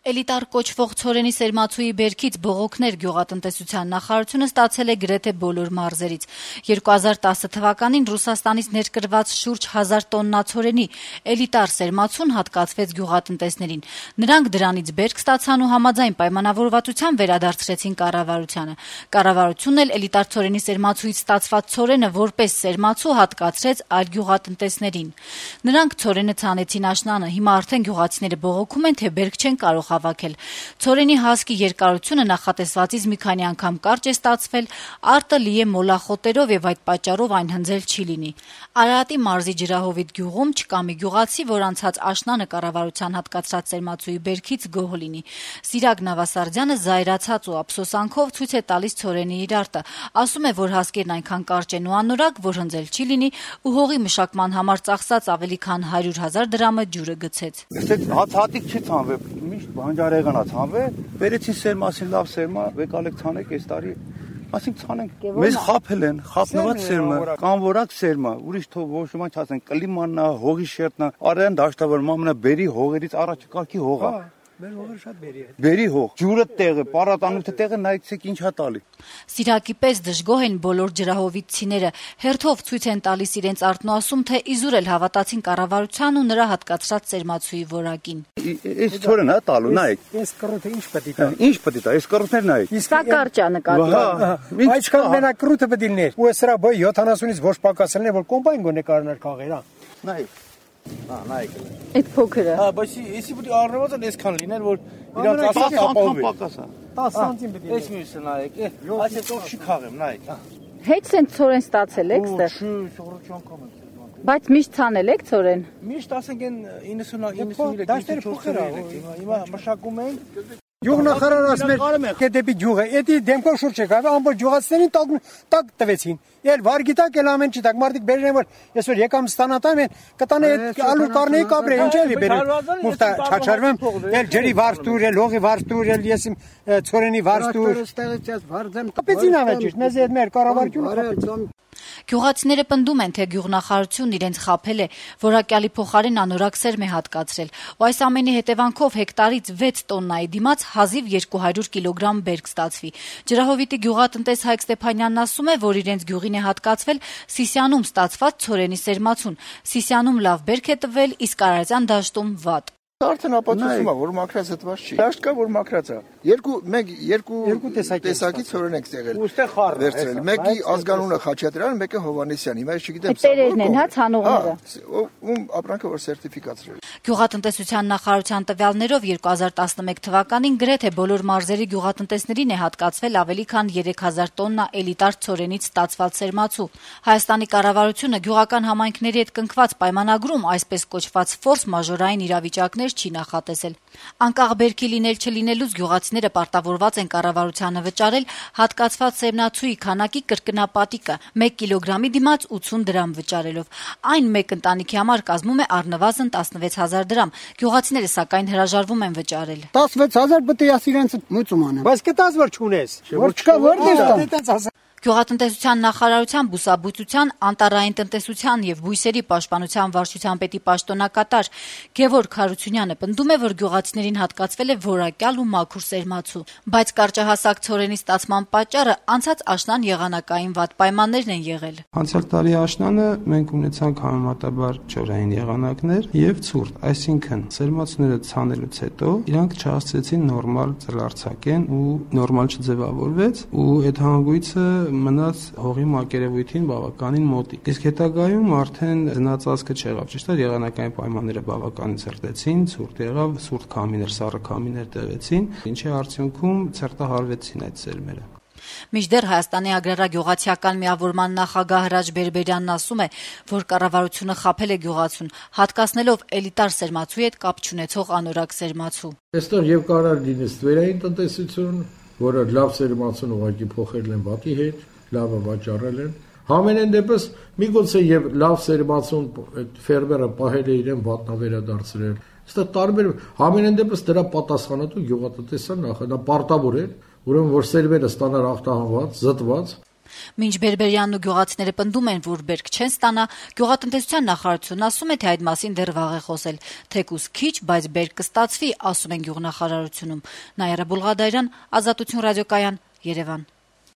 Էլիտար կոչվող ցորենի սերմացուի բերքից բողոքներ գյուղատնտեսության նախարարությունը ստացել է գրեթե բոլոր մարզերից։ 2010 թվականին Ռուսաստանից ներկրված շուրջ 1000 տոննա ցորենի էլիտար սերմացուն հատկացվեց գյուղատնտեսներին։ Նրանք դրանից բերք ստացան ու համաձայն պայմանավորվածության վերադարձրեցին կառավարությանը։ Կառավարությունն էլ էլիտար ցորենի սերմացուից ստացված ցորենը որպես սերմացու հատկացրեց այլ գյուղատնտեսներին։ Նրանք ցորենը ցանեցին աշնանը, հիմա արդեն գյուղացիները բողոքում են, թե բերք չեն կարող հավաքել։ Ցորենի հասկի երկարությունը նախատեսվածից մի քանի անգամ կարճ է ստացվել, արտը լի է մոլախոտերով եւ այդ պատճառով այն հնձել չի լինի։ Արարատի մարզի Ջրահովիտ գյուղում չկա մի գյուղացի, որ անցած աշնանը կառավարության հատկացրած սերմացուի բերքից գոհ լինի։ Սիրակ Նավասարդյանը զայրացած ու ափսոսանքով ցույց է տալիս ցորենի իր արտը, ասում է, որ հասկերն այնքան կարճ են ու անորակ, որ հնձել չի լինի ու հողի մշակման համար ծախսած ավելի քան 100,000 դրամը ջուրը գցեց։ Հատիկ չի ցանվել, միշտ բանջարեղեն է ցանվել, վերեցին սերմասին լավ սերմա, եկալեք ցանեք այս տարի, ասենք ցանենք։ Մեզ խափել են, խափնված սերմա, կանվորակ սերմա, ուրիշ թող ոչ ոք չասեն, կլիմանն է, հողի շերտն է, արեն դաշտավոր մամնա բերի հողերից առաջ կարգի հող է։ Մեր հողը շատ բերի է։ Բերի հող, ջուրը տեղը, պարատանութը տեղը նայեցեք ինչ է տալի։ Սիրակի պես դժգոհ են բոլոր ջրահովիցիները, հերթով ցույց են տալիս իրենց արտն ու ասում, թե իզուր էլ հավատացին կառավարության ու նրա հատկացրած սերմացուի որակին։ Այս ցորենը տալու, նայեք։ Այս կռուտը ինչ պետք է։ Ինչ պետք է, այս կռուտները նայեք։ Սա կարճ է նկատի։ Այսքան մենակ կռուտը պետք է լիներ։ Ու սրա բոյ 70-ից ոչ պակասելն է, որ կոմբայն գոնե կարներ քաղեր, հա։ Նայեք։ Նայեք։ Այդ փոքրը։ Հա, բայց էսի պետք է առնվազն այսքան լիներ, որ իրանց ասած ապահովի։ 10 սանտիմ պետք է։ Այս մյուսը նայեք, այս հետո չի քաղեմ, նայեք։ Հետ սեն ցորեն ստացել եք ստե։ Շու, շողրոջի անգամ եմ։ Բայց միշտ ցանել եք ցորեն։ Միշտ ասենք են 93 փոքր է։ Հիմա մշակում ենք։ Գյուղնախարարը ասում է դեպի գյուղը, էդի դեմքով շուրջ եկավ, ամբողջ գյուղացիներին տակ տվեցին։ Էլ վարգիտակ էլ ամեն չի տակ մարդիկ բերեն են որ այսօր եկամ ստանատամ են կտանը այդ ալուր կառնեի կաբրե ինչ էլի բերել մուտա չաչարվեմ էլ ջրի վարդուր էլ հողի վարդուր էլ ես ցորենի վարդուր ստեղծած վարդեմ կապեցին ավերջի մեզ այդ մեր կառավարությունը Գյուղացիները պնդում են, թե գյուղնախարարությունն իրենց խաբել է, որակյալի փոխարեն անորակ սերմ է հատկացրել, ու այս ամենի հետևանքով հեկտարից 6 տոննայի դիմաց հազիվ 200 կիլոգրամ բերք ստացվի։ Ջրահովիտի գյուղատնտես Հայկ Ստեփանյանն ասում է, որ իրենց գյուղին է հատկացվել Սիսիանում ստացված ցորենի սերմացուն։ Սիսիանում լավ բերք է տվել, իսկ Արարատյան դաշտում վատ։ Արդեն ապացուցում է, որ մաքրած հտված չի։ Դաշտ կա, որ մաքրած է։ Երկու տեսակի ցորեն ենք տեղել։ Ուստեղ խառն վերցրել։ Մեկի ազգանունը Խաչատրյան, մեկը Հովհաննիսյան։ Հիմա ես չգիտեմ սա։ Տերերն են, հա, ցանողները։ Ում ապրանքը որ սերտիֆիկացրել։ Գյուղատնտեսության նախարարության տվյալներով 2011 թվականին գրեթե բոլոր մարզերի գյուղատնտեսներին է հատկացվել ավելի քան 3000 տոննա էլիտար ցորենից ստացված սերմացու։ Հայաստանի կառավարությունը գյուղական համայնքների հետ կնքված պայմանագրում այսպես կոչված ֆորս մաժորային իրավիճակներ չի նախատեսել։ Անկախ բերքի լինել չլինելուց գյուղացիները պարտավորված են կառավարությանը վճարել հատկացված սերմացուի քանակի կրկնապատիկը 1 կիլոգրամի դիմաց 80 դրամ վճարելով։ Այն մեկ ընտանիքի համար կազմում է առնվազն 16000 դրամ։ Գյուղացիները սակայն հրաժարվում են վճարել։ 16000 պետք է իրենց մուծում անեն։ Բայց կտած որ չունես։ Որ չկա որտեղ։ Գյուղատնտեսության նախարարության բուսաբուծության, անտառային տնտեսության եւ բույսերի պաշտպանության վարչության պետի պաշտոնակատար Գևորգ Հարությունյանը պնդում է, որ գյուղացիներին հատկացվել է որակյալ ու մաքուր սերմացու, բայց կարճահասակ ցորենի ստացման պատճառը անցած աշնան եղանակային վատ պայմաններն են եղել։ Անցյալ տարի աշնանը մենք ունեցանք համեմատաբար չորային եղանակներ եւ ցուրտ, այսինքն սերմացուները ցանելուց հետո իրանք չհասցրեցին նորմալ ծլարձակեն ու նորմալ չձևավորվեց ու այդ հանգույցը մնաց հողի մակերևույթին բավականին մոտիկ։ Իսկ հետագայում արդեն զնացածքը չեղավ, ճիշտ է, եղանակային պայմանները բավականին ցրտեցին, ցուրտ եղավ, սուրտ քամիներ, սառը քամիներ տևեցին, ինչի արդյունքում ցրտահարվեցին այդ սերմերը։ Մինչդեռ Հայաստանի agrarագյուղացիական միավորման նախագահ Հրաչ Բերբերյանն ասում է, որ կառավարությունը խաբել է գյուղացուն, հատկացնելով էլիտար սերմացուի հետ կապ չունեցող անորակ սերմացու։ Այստեղ եւ կարող լինի ստվերային տնտեսություն, որը լավ սերմացուն ուղղակի փոխել են վատի հետ, լավը վաճառել են։ Համենայն դեպս միգուցե եւ լավ սերմացուն այդ ֆերմերը պահել է իրեն վատնավերադարձրել։ Այստեղ տարբեր համենայն դեպս դրա պատասխանատու գյուղատնտեսական նախարարը պարտավոր է, ուրեմն որ սերմերը ստանար ախտահանված, զտված։ Մինչ Բերբերյանն ու գյուղացիները պնդում են, որ բերք չեն ստանա, գյուղատնտեսության նախարարությունն ասում է, թե այդ մասին դեռ վաղ է խոսել։ Թեկուզ քիչ, բայց բերք կստացվի, ասում են գյուղնախարարությունում։ Նայարա Բուլղադարյան, Ազատություն ռադիոկայան, Երևան։